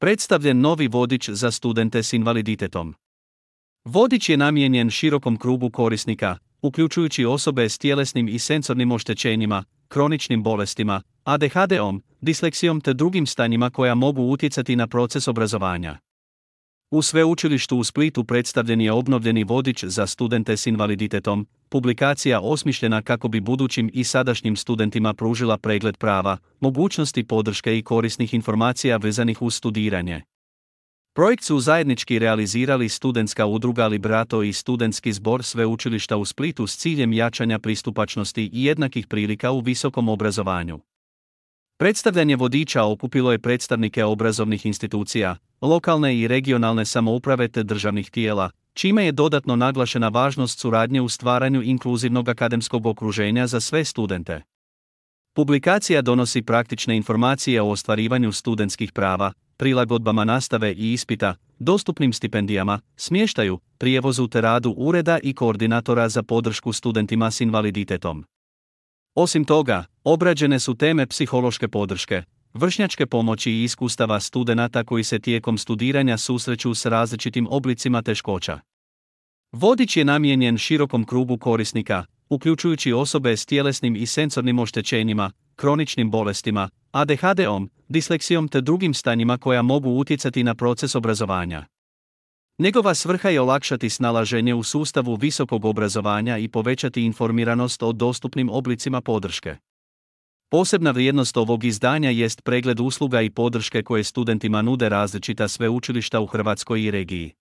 Predstavljen novi vodič za studente s invaliditetom. Vodič je namijenjen širokom krugu korisnika, uključujući osobe s tjelesnim i sensornim oštećenjima, kroničnim bolestima, ADHD-om, disleksijom te drugim stanjima koja mogu utjecati na proces obrazovanja. U Sveučilištu u Splitu predstavljen je obnovljeni vodič za studente s invaliditetom, publikacija osmišljena kako bi budućim i sadašnjim studentima pružila pregled prava, mogućnosti podrške i korisnih informacija vezanih uz studiranje. Projekt su zajednički realizirali studentska udruga Liberato i studentski zbor Sveučilišta u Splitu s ciljem jačanja pristupačnosti i jednakih prilika u visokom obrazovanju. Predstavljanje vodiča okupilo je predstavnike obrazovnih institucija, lokalne i regionalne samouprave te državnih tijela, čime je dodatno naglašena važnost suradnje u stvaranju inkluzivnog akademskog okruženja za sve studente. Publikacija donosi praktične informacije o ostvarivanju studentskih prava, prilagodbama nastave i ispita, dostupnim stipendijama, smještaju, prijevozu te radu ureda i koordinatora za podršku studentima s invaliditetom. Osim toga, obrađene su teme psihološke podrške, vršnjačke pomoći i iskustava studenata koji se tijekom studiranja susreću s različitim oblicima teškoća. Vodič je namijenjen širokom krugu korisnika, uključujući osobe s tjelesnim i sensornim oštećenjima, kroničnim bolestima, ADHD-om, disleksijom te drugim stanjima koja mogu utjecati na proces obrazovanja. Njegova svrha je olakšati snalaženje u sustavu visokog obrazovanja i povećati informiranost o dostupnim oblicima podrške. Posebna vrijednost ovog izdanja jest pregled usluga i podrške koje studentima nude različita sveučilišta u Hrvatskoj i regiji.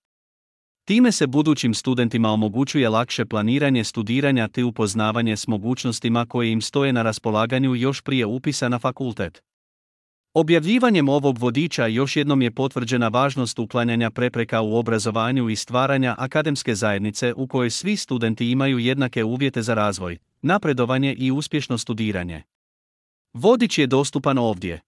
Time se budućim studentima omogućuje lakše planiranje studiranja te upoznavanje s mogućnostima koje im stoje na raspolaganju još prije upisa na fakultet. Objavljivanjem ovog vodiča još jednom je potvrđena važnost uklanjanja prepreka u obrazovanju i stvaranja akademske zajednice u kojoj svi studenti imaju jednake uvjete za razvoj, napredovanje i uspješno studiranje. Vodič je dostupan ovdje.